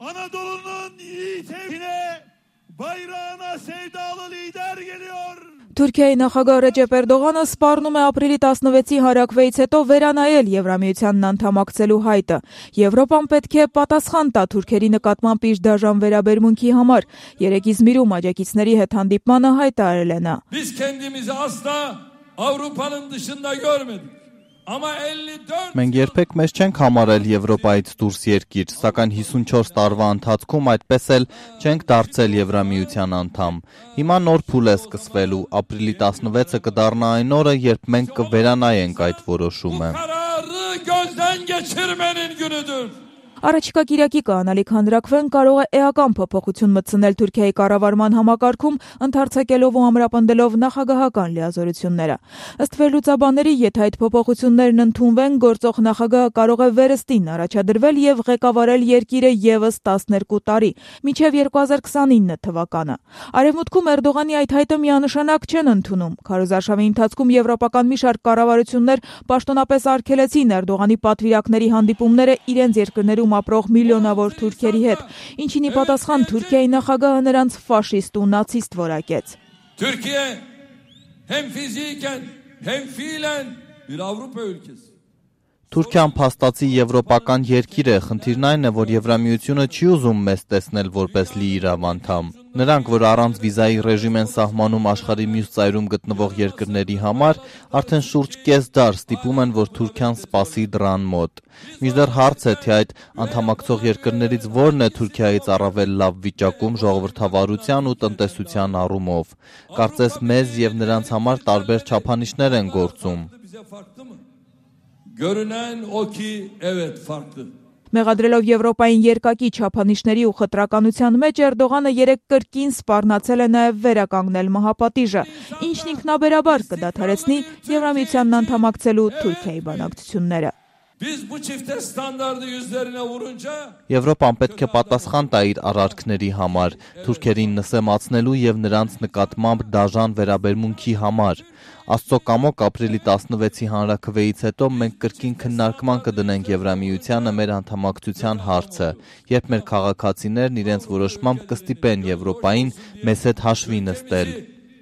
Anadolu'nun yiğit evine bayrağına sevdalı lider geliyor. Թուրքիայի նախագահ Ռեջեփ Էրդողանը սպառնում է ապրիլի 16-ի հարակվեից հետո վերանայել Եվրամիությանն անդամակցելու հայտը։ Եվրոպան պետք է պատասխան տա թուրքերի նկատմամբ իր դաժան վերաբերմունքի համար։ Երեկ Իզմիրում աջակիցների հետ հանդիպմանը հայտարարել է նա. Biz kendimizi asla Avrupa'nın dışında görmedik. Ama 54 Մենք երբեք մեզ չենք համարել Եվրոպայից դուրս երկիր, սակայն 54 տարվա ընթացքում այդպես էլ չենք դարձել Եվրամիության անդամ։ Հիմա նոր փուլ է սկսվելու, ապրիլի 16-ը կդառնա այն օրը, երբ մենք կվերանայենք այդ որոշումը։ kararı gözden geçirmenin günüdür. Առաջիկա կիրակի կանալիք հանրակվեն կարող է էական փոփոխություն մտցնել Թուրքիայի կառավարման համակարգում, ընդարձակելով ու ամրապնդելով նախագահական լիազորությունները։ Ըստ վերլուծաբանների, եթե այդ փոփոխություններն ընդունվեն, գործող նախագահը կարող է վերստին առաջադրվել եւ ղեկավարել երկիրը եւս 12 տարի, մինչեւ 2029 թվականը։ Արևմուտքում Էրդողանի այդ հայտը միանշանակ չեն ընդունում։ Քարոզարշավի ընթացքում եվրոպական մի շարք կառավարություններ պաշտոնապես արգելեցին Էրդողանի պատվիրակների հանդիպումները իրենց երկրներում ապրող միլիոնավոր թուրքերի հետ, ինչին ի պատասխան Թուրքիայի նախագահը նրանց ֆաշիստ ու նացիստ որակեց։ Türkiye hem fiziken hem fiilen bir Avrupa ülkesi. Թուրքիան փաստացի եվրոպական երկիր է, խնդիրն այն է, որ Եվրամիությունը չի ուզում մեզ տեսնել որպես լիիրավ անդամ։ Նրանք, որ առանց վիզայի ռեժիմ են սահմանում աշխարհի մյուս ծայրում գտնվող երկրների համար, արդեն շուրջ կես դար ստիպում են, որ Թուրքիան սպասի դռան մոտ։ Մինչդեռ հարց է, թե այդ անդամակցող երկրներից որն է Թուրքիայից առավել լավ վիճակում ժողովրդավարության ու տնտեսության առումով։ Կարծես մեզ եւ նրանց համար տարբեր չափանիշներ են գործում։ Görünen o ki evet farklı. Մեղադրելով Եվրոպային երկակի չափանիշների ու խտրականության մեջ Էրդողանը երեք կրկին սպառնացել է նաև վերականգնել մահապատիժը, ինչն ինքնաբերաբար կդադարեցնի Եվրամիությանն անդամակցելու Թուրքիայի բանակցությունները։ Biz bu çifte standardı yüzlerine vurunca Եվրոպան պետք է պատասխան տա իր արարքների համար, թուրքերին նսեմացնելու եւ նրանց նկատմամբ դաժան վերաբերմունքի համար։ Աստծո կամոք ապրիլի 16-ի հանրաքվեից հետո մենք կրկին քննարկման կդնենք Եվրամիությանը մեր անդամակցության հարցը, երբ մեր քաղաքացիներն իրենց որոշմամբ կստիպեն Եվրոպային մեզ հետ հաշվի նստել։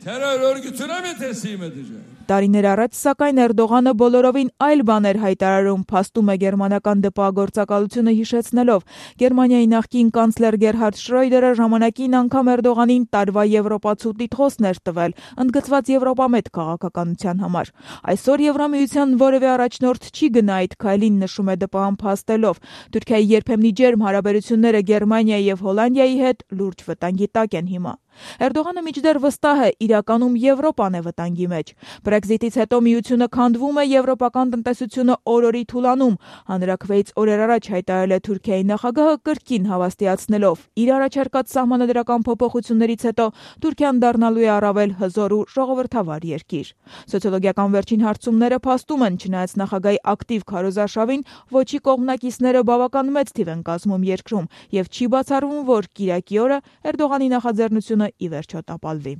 terör örgütüne mi teslim edecek? Տարիներ առաջ, սակայն Էրդողանը բոլորովին այլ բաներ հայտարարում, փաստում է գերմանական դպագործակալությունը հիշեցնելով։ Գերմանիայի նախկին կանցլեր Գերհարդ Շրոյդերը ժամանակին անգամ Էրդողանին տարվա եվրոպացու տիտղոսն էր տվել, ընդգծված Եվրոպամետ քաղաքականության համար։ Այսօր Եվրամիության որևէ առաջնորդ չի գնա այդ քայլին, նշում է ԴՊԱ-ն փաստելով։ Թուրքիայի երբեմնի ջերմ հարաբերությունները Գերմանիայի եւ Հոլանդիայի հետ լուրջ վտանգի տակ են հիմա։ Էրդողանը մինչդեռ վստահ է, իրականում Եվրոպան է վտանգի մեջ։ Բրեքզիտից հետո միությունը քանդվում է, եվրոպական տնտեսությունը օրորի թուլանում։ Հանրաքվեից օրեր առաջ հայտարարել է Թուրքիայի նախագահը կրկին հավաստիացնելով. իր առաջարկած սահմանադրական փոփոխություններից հետո Թուրքիան դառնալու է առավել հզոր ու ժողովրդավար երկիր։ Սոցիոլոգիական վերջին հարցումները փաստում են, չնայած նախագահի ակտիվ քարոզարշավին, ոչի կողմնակիցները բավական մեծ թիվ են կազմում երկրում, եւ չի բացառվում, որ կիրակի օրը Էրդողանի նախաձեռնությունը ի վերջո տապալվի։